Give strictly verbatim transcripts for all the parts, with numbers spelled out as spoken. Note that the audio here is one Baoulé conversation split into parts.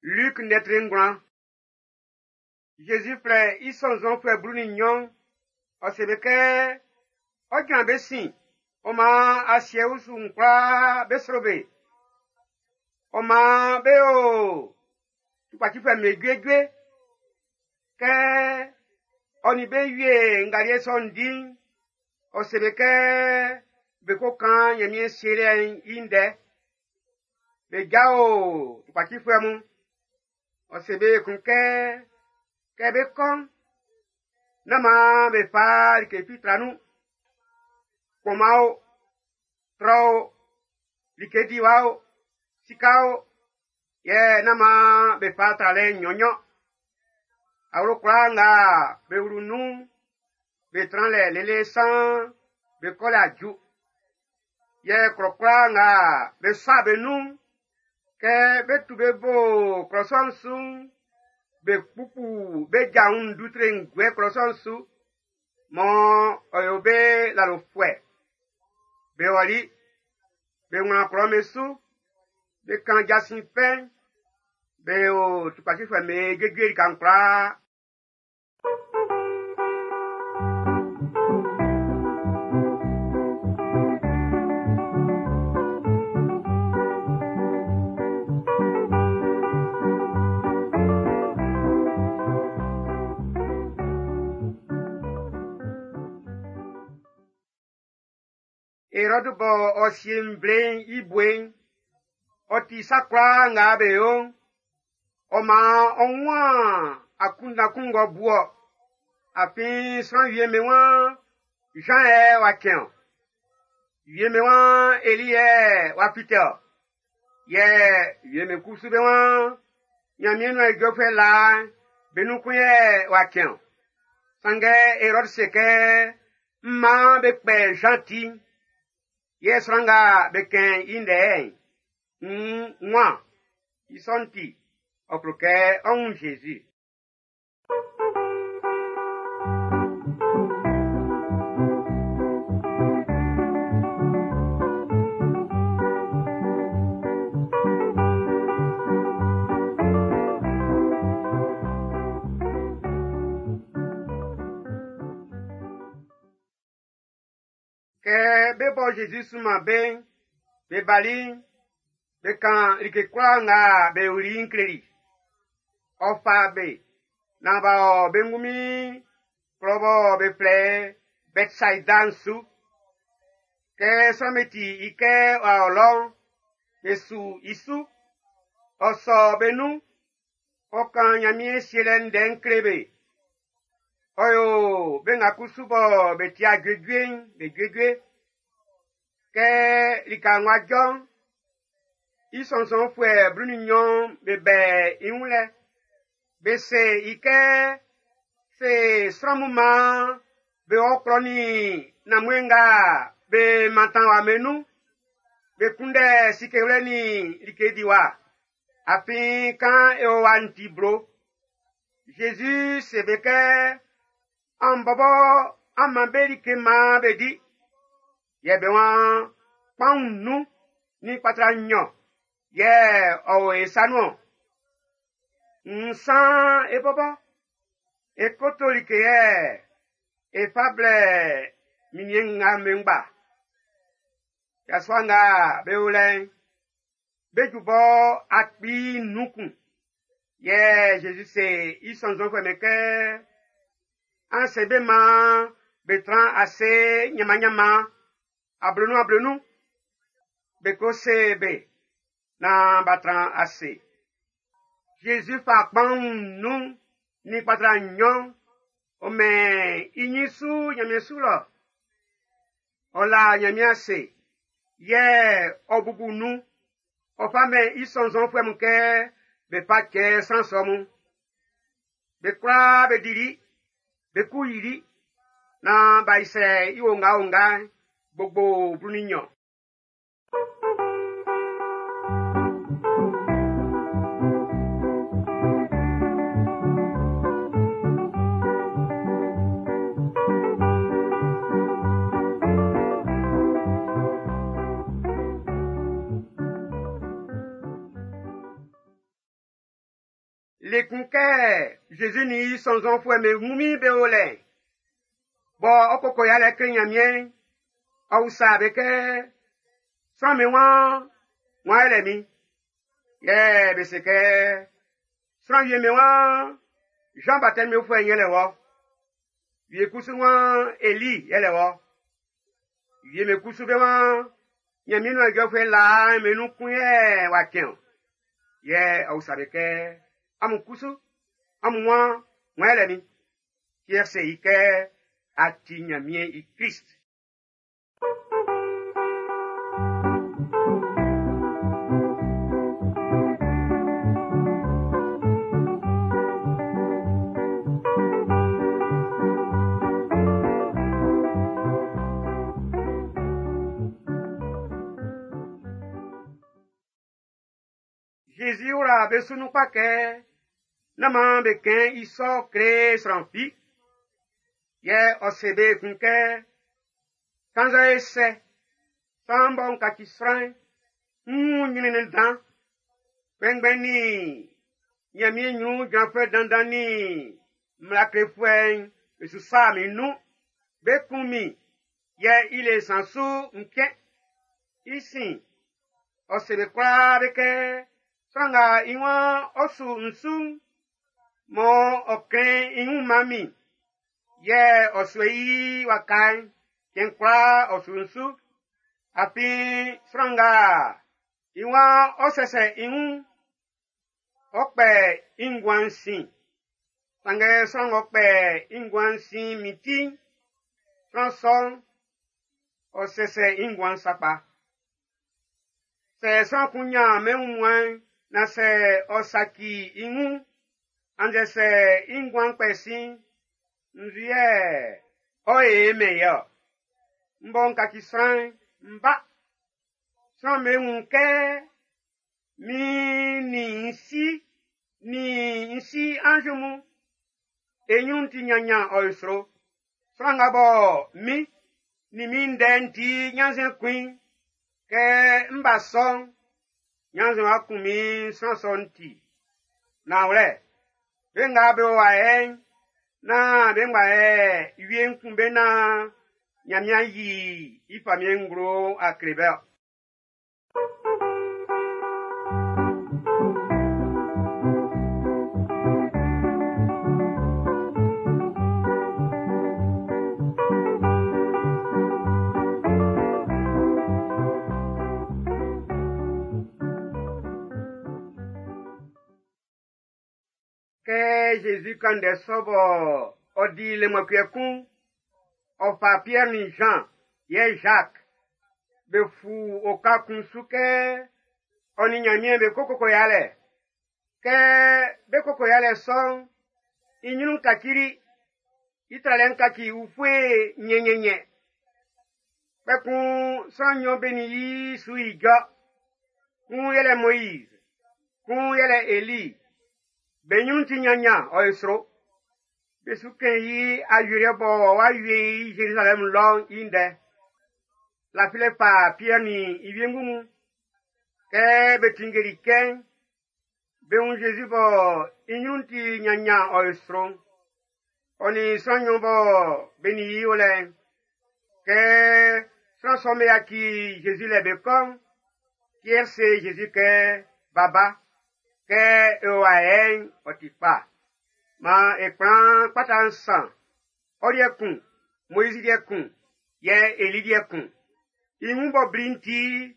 Luc ndɛtre ngwlan. Zezi flɛ i sɔnnzɔnfuɛ blu nin nɲɔn. Ɔ se be kɛ ɔ jran be sin, ɔ maan asiɛ usu'n kwlaa be sro be. Ɔ maan be o tukpacifuɛ'm be juejue. Kɛ ɔ nin be wie ngaliɛ sɔ'n di'n, ɔ se be kɛ be ko kan Ɲanmiɛn Sielɛ'n i ndɛ. Be jao tukpacifuɛ mun. Ɔ se be ekun kɛ, kɛ bé kɔ́ʼn, nán maan be fa like fi tra nun. Kpɔnman o, trɔ o, like diwa o, sika o, yɛ nán maan be fa tralɛ nɲɔnnɲɔn. Awlo kwlaa nga be wlu nun'n, be tran lɛ lele saan be kɔlɛ aju. Yɛ klɔ kwlaa nga be sua be nun'n, kɛ be tu be bo klɔ sɔ'n su'n, be kpukpu be ja wun ndutre'n guɛ klɔ sɔ'n su, mɔ ɔ yo be lalofuɛ. Be ɔli, be wlan klɔ'm be su, be kan jasin fɛ'n, be yo tukpacifuɛ'm be juejue lika'n kwlaa. Erɔdu bɔ ɔ sie nvle'n i bue'n, ɔ ti sa kwlaa nga be yo'n, ɔ maan ɔ wun akunndan kun ng'ɔ bu ɔ. Afin sran wie'm be waan Jean yɛ w'a cɛn ɔ. Wie'm be waan Eli yɛ w'a fite ɔ. Yɛ wie'm be kusu be waan Ɲanmiɛn nuan ijɔfuɛ laa'n be nun kun yɛ w'a cɛn ɔ. Sanngɛ Erɔdu se kɛ, n maan be kpɛ Jean ti'n. Yɛ sran nga be kɛn i ndɛ'n, nn wan? I sɔ'n ti, ɔ klo kɛ ɔ́ wún Zezi. Kɛ be bɔ Zezi sunman be'n, be bali'n, be kan like kwlaa nga be yoli'n kleli. Ɔ fa be naan b'a ɔ be ngunmin klɔ bɔ be flɛ Bɛtsaida'n su. Kɛ sran'm be ti i kɛ w'a ɔ lɔ'n, be su i su. Ɔ sɔ be nun, ɔ kan Ɲanmiɛn Sielɛ ndɛ'n kle be. Ɔ yo be nga kusu bɔ be ti juejue'n be juejue. Kɛ lika ng'ɔ jɔ'n, i sɔnnzɔnfuɛ blu nin nɲɔn be bɛ i wun lɛ. Be se i kɛ, se sran mun maan be wɔ klɔ nin nanmue nga be mantan wa be nun. Be kunndɛ sikewlɛ nin like diwa. Afin kan e o wa'n ti blo. Zezi se be kɛ, an bɔbɔ an man be like maan be di. Yɛ be waan kpanwun nnun nin kpatra nɲɔn yɛ ɔ o e sa nun ɔn. Nsan e bɔbɔ e koto like yɛ e fa blɛ minniɛn nga be ngba. Yasua nga be o lɛ'n, be ju bɔ akpi nnun kun. Yɛ Zezi se i sɔnnzɔnfuɛ'm be kɛ, an se be maan be tran ase ɲanmanɲanman ablenun ablenun. Be ko se be naan b'a tran ase. Zezi fa kpanwun nnun nin kpatra nɲɔn, ɔ mɛn i ɲin su Ɲanmiɛn su lɔ. Ɔ la Ɲanmiɛn ase, yɛ ɔ bubu nun. Ɔ fa mɛn i sɔnnzɔnfuɛ mun kɛ be fa cɛ sran sɔ mun. Be kwlaa be dili, be ku yili, naan b'a isɛ i ongaonga'n gbogbo blu nin nɲɔn. Le kun kɛ Zezi nin i sɔnnzɔnfuɛ'm be ngunmin be o lɛ'n, bɔ ɔ koko yalɛ kle Nyanmiɛn'n, ɔ usa be kɛ, sran'm be waan, wan yɛlɛ min? Yɛ be se kɛ, sran wie'm be waan, Jean Baptiste fuɛ'n yɛlɛ wɔ. Wie kusu waan, Eli yɛlɛ wɔ. Wie'm be kusu be waan, Nyanmiɛn nuan ijɔfuɛ laa'n be nun kun yɛ w'a cɛn o. Yɛ ɔ usa be kɛ, amun kusu, amun waan, wan yɛlɛ min? Pierre se i kɛ, a ti Nyanmiɛn i Krist. Jésus wla be su nun kpa kɛ, nán maan be kɛn i sɔ kle sran fi. Yɛ ɔ se be ekun kɛ, kannzɛ e sɛ, sran bɔ n kaci sran'n, n wun nyrɛnnɛn dan. Kpɛnngbɛn nin Nyanmiɛn nyrun jranfuɛ dandan nin mmla klefuɛ'n be su sa min nun. Be kun min, yɛ i le nsan su n cɛn. I sin, ɔ se be kwlaa be kɛ, sran nga i waan ɔ su n su'n, mɔ ɔ klɛn i wun man min, yɛ ɔ sue i waka'n, cɛn kwlaa ɔ su n su. Afin sran nga i waan ɔ sɛsɛ i wun, ɔ kpɛ i nguan'n sin. Sanngɛ sran ng'ɔ kpɛ i nguan'n sin min ti'n, sran sɔ'n, ɔ sɛsɛ i nguan'n sakpa. Sɛ sran kun nyan mɛn wunmuan'n, na sɛ ɔ saci i wun, annzɛ sɛ i nguan'n kpɛ sin, nzu yɛ ɔ e mɛn i-ɔ? M bɔ n kaci sran'n, m ba. Sran'm be wun kɛ min nin n si nin n si anz mun, e nyrun ti nyanyan ɔ e sro. Sran nga bɔ min nin min ndɛ'n ti ɲannzuɛn kun i'n, kɛ m ba sɔ'n, ɲannzuɛn wa kun min sran sɔ'n ti. Nanwlɛ, be nga be o wa yɛ'n, nán be ngba yɛ wie'n kun be naan Nyanmiɛn yi i famiɛn nglo a kle be-ɔ. Kɛ Jésus kan ndɛ sɔ bɔ ɔ di le mɔcuɛ kun, ɔ fa Pierre nin Jean yɛ Jacques be fu oka kun su kɛ ɔ nin Nyanmiɛn be ko koko yalɛ. Kɛ be koko yalɛ sɔ'n, i nyrun kacili, i tralɛ'n kaci ufue nyɛnyɛnyɛ. Kpɛkun sran nnyɔn be nin i su ijɔ. Kun yɛlɛ Moïse, kun yɛlɛ Élie. Be nyrun ti nyanyan ɔ e sro. Be su kɛn i awieliɛ bɔ w'a wie i Jérusalem lɔ'n i ndɛ. Lafilɛ fa Pierre nin i wiengu mun. Kɛ be tinngeli kɛ'n, be wun Jésus bɔ i nyrun ti nyanyan ɔ e sro'n. Ɔ nin sran nnyɔn bɔ be nin i o lɛ'n. Kɛ sran sɔ'm be yaci Jésus lɛ be kɔ'n, Pierre se Jésus kɛ, Baba, kɛ e o wa yɛ'n, ɔ ti kpa. Maan e kplan kpata nsan, ɔ liɛ kun, Moïse liɛ kun, yɛ Eli liɛ kun. I wun bɔ bli'n ti,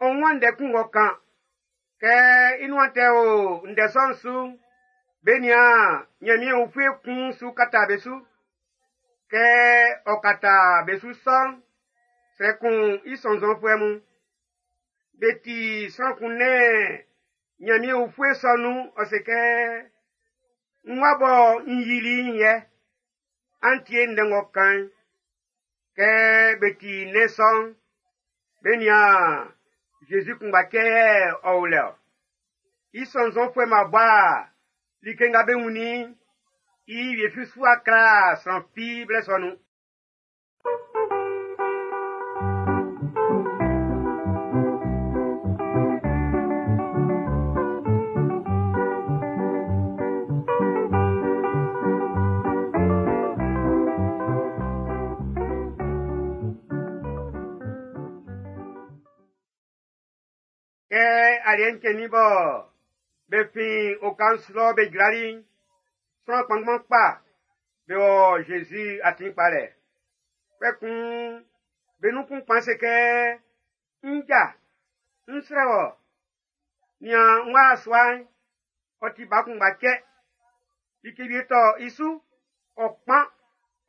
ɔ wun ndɛ kun ng'ɔ kan. Kɛ i nuan tɛ o ndɛ sɔ'n su'n, be nian Nyanmiɛn ufue kun su kata be su. Kɛ ɔ kata be su sɔ'n, srɛ kun i sɔnnzɔnfuɛ mun. Be ti sran kun nɛn Nyanmiɛn ufue sɔ nun, ɔ se kɛ, n wa bɔ n yili i'n yɛ, an tie ndɛ ng'ɔ kan'n. Kɛ be ti nɛn sɔ'n, be nian Jésus kunngba cɛ yɛ ɔ o lɛ-ɔ. I sɔnnzɔnfuɛ'm b'a bɔ a like nga be wunnin i'n, i wie fi su a kla sran fi blɛ sɔ nun. Aliɛ'n cɛnnin bɔ be fin oka'n su lɔ be jrali'n, sran kpanngban kpa be wɔ Zezi atin kpalɛ. Kpɛkun be nun kun kpan se kɛ, “Nja, n srɛ wɔ, nian n wa sua'n, ɔ ti ba kunngba cɛ. Like wie tɔ i su, ɔ kpan,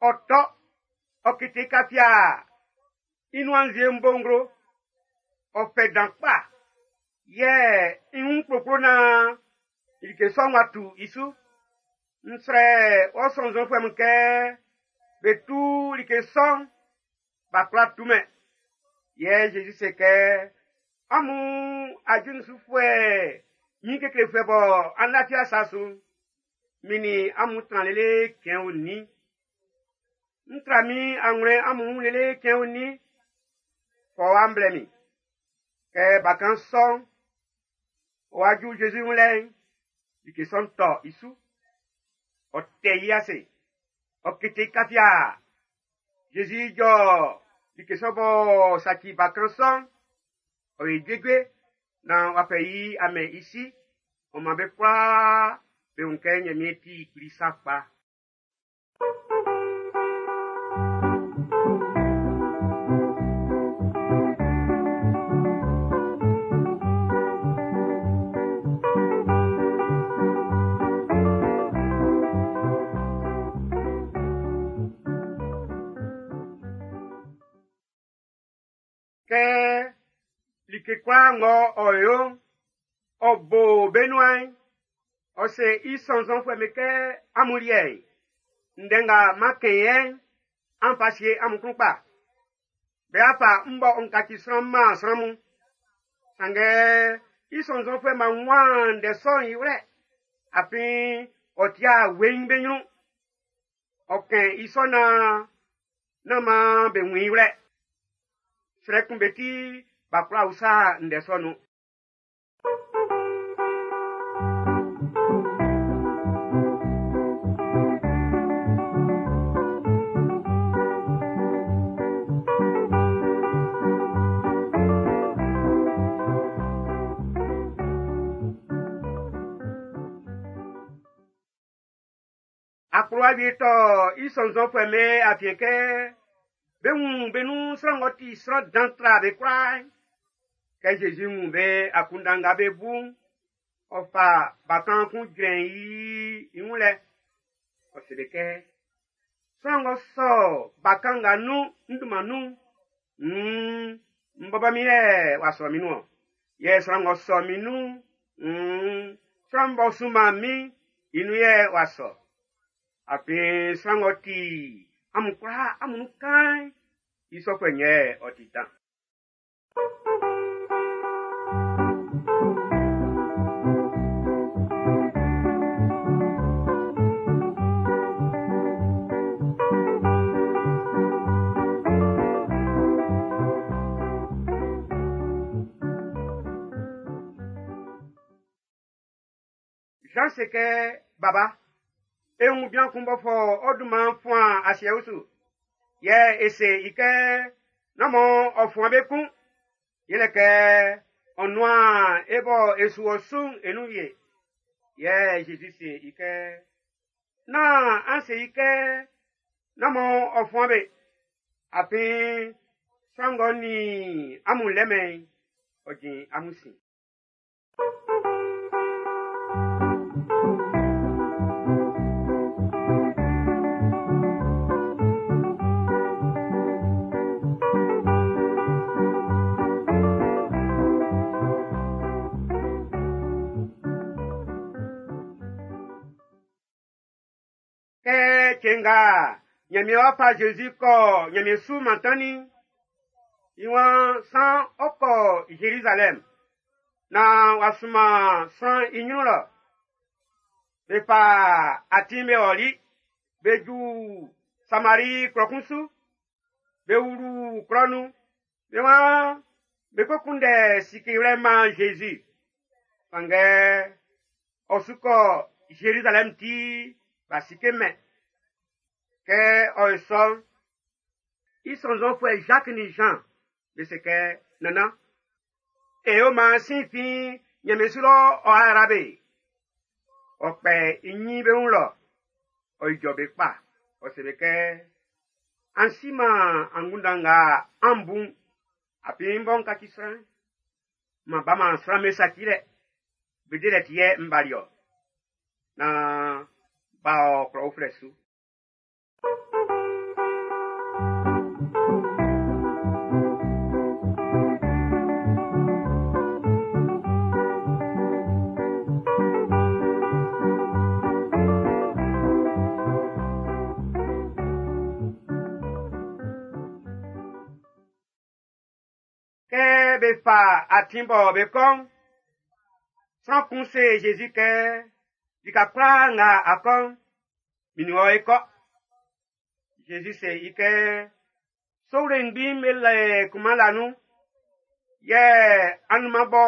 ɔ tɔ, ɔ kete kafiaa, i nuan nzue'n bo nglo, ɔ fɛ dan kpa, yɛ i wun kplokplo naan like sɔ'n w'a tu i su. N srɛ wɔ sɔnnzɔnfuɛ mun kɛ be tu like sɔ'n, b'a kwlá tumɛn.” Yɛ Zezi se kɛ, “Amun ajulisufuɛ ɲin keklefuɛ bɔ an lafi asa su'n, min nin amun tran lele cɛn onin? N tra min anwlɛn amun wun lele cɛn onin? Fɔ wa blɛ min.” Kɛ bakan sɔ'n, ɔ wa ju Zezi wun lɛ'n, like sɔ'n tɔ i su. Ɔ tɛ i ase, ɔ kete i kafiaa. Zezi jɔ like sɔ b'ɔ saci bakan sɔ'n, ɔ yi juejue naan w'a fɛ i a mɛn i si. Ɔ man be kwlaa be wun kɛ Ɲanmiɛn ti kpli sakpa. Kɛ like kwlaa ng'ɔ ɔ yo'n, ɔ bo be nuan'n, ɔ se i sɔnnzɔnfuɛ'm be kɛ, “Amun liɛ'n, ndɛ nga m'an kɛn yɛ'n, an fa sie amun klun kpa. Be a fa m bɔ n kaci sran man sran mun.” Sanngɛ i sɔnnzɔnfuɛ'm b'a wunman ndɛ sɔ'n i wlɛ, afin ɔ ti weiin be ɲrun. Ɔ kɛn i sɔ naan nán maan be wun i wlɛ. Srɛ kun be ti b'a kwla usa ndɛ sɔ'n nun. Akplowa wie tɔ i sɔnnzɔnfuɛ'm be afiɛn kɛ be wun be nun sran ng'ɔ ti sran dan tra be kwlaa'n. Kɛ Zezi wun be akunndan nga be bu'n, ɔ fa bakan kun jrɛn i i wun lɛ. Ɔ se be kɛ, “Sran ng'ɔ sɔ bakan nga nun n dunman nun'n, nn n bɔbɔ min yɛ w'a sɔ min nun-ɔn. Yɛ sran ng'ɔ sɔ min nun'n, nn sran b'ɔ sunman min i nun yɛ w'a sɔ. Afin sran ng'ɔ ti amun kwlaa amun nun kaan'n, i sɔfuɛ'n yɛ ɔ ti dan.” Jean se kɛ, “Baba, e wun bian kun b'ɔ fɔ ɔ dunman'n fuan asiɛ usu. Yɛ e se i kɛ, nán mɔ ɔ fuan be kun. Yɛlɛ kɛ ɔ nuan e bɔ e su ɔ su'n e nun wie.” Yɛ Zezi se i kɛ, “Nán an se i kɛ, nán mɔ ɔ fuan be. Afin sran ng'ɔ nin amun lɛmɛn'n, ɔ jin amun sin.” Kɛ cɛn nga Ɲanmiɛn wá fá Zezi kɔ Ɲanmiɛn su mantannin'n, i waan san ɔ kɔ Zerizalɛm naan w'a sunman sran i ɲrun lɔ. Be fa atin be ɔli, be ju Samari klɔ kun su, be wlu klɔ nun. Be waan be ko kunndɛ sikewlɛ man Zezi. Sanngɛ ɔ su kɔ Zerizalɛm ti b'a sikemɛn. Kɛ ɔ ye sɔ'n, i sɔnnzɔnfuɛ Jacques ni Jean be se kɛ, “Nannan, e yo maan sin fin Ɲanmiɛn su lɔ ɔ'a yra be. Ɔ kpɛ i ɲin be wun lɔ, ɔ ijɔ be kpa, ɔ se be kɛ, an siman angunndan nga an bu'n, afin n bɔ n kaci sran'n, m'an baman sran'm be sacilɛ, be delɛ ti yɛ n bali ɔ. Naan b'a ɔ klɔ uflɛ su. Kɛ be fa atin bɔ be kɔ'n, sran kun se Zezi kɛ, lika kwlaa nga a kɔ'n, min nin wɔ e kɔ. Zezi se i kɛ, sowle ngbin be lɛ kunman la nun, yɛ anunman bɔ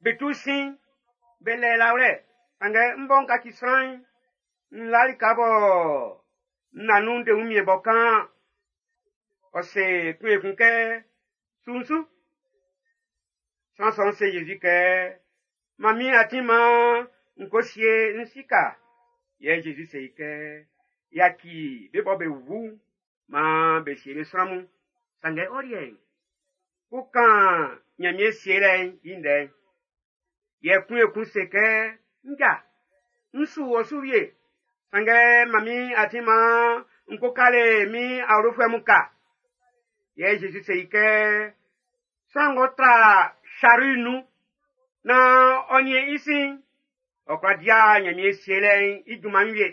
be tu sin be lɛ lawlɛ, sanngɛ n bɔ n kaci sran'n, n la lika bɔ n na nun de wunmiɛn bɔ kaan. Ɔ se kun ekun kɛ, su n su. Sran sɔ'n se Zezi kɛ, man min atin maan n ko sie n sika. Yɛ Zezi se i kɛ, yaci be bɔ be wu maan be sie be sran mun. Sanngɛ ɔ liɛ'n, ko kan Ɲanmiɛn sielɛ'n i ndɛ'n. Yɛ kun ekun se kɛ, nja, n su wɔ su wie. Sanngɛ man min atin maan n ko kale min awlofuɛ mun ka. Yɛ Zezi se i kɛ, sran ng'ɔ tra saru nun naan ɔ niɛn i sin'n, ɔ kwla dia Ɲanmiɛn sielɛ'n i junman'n wie.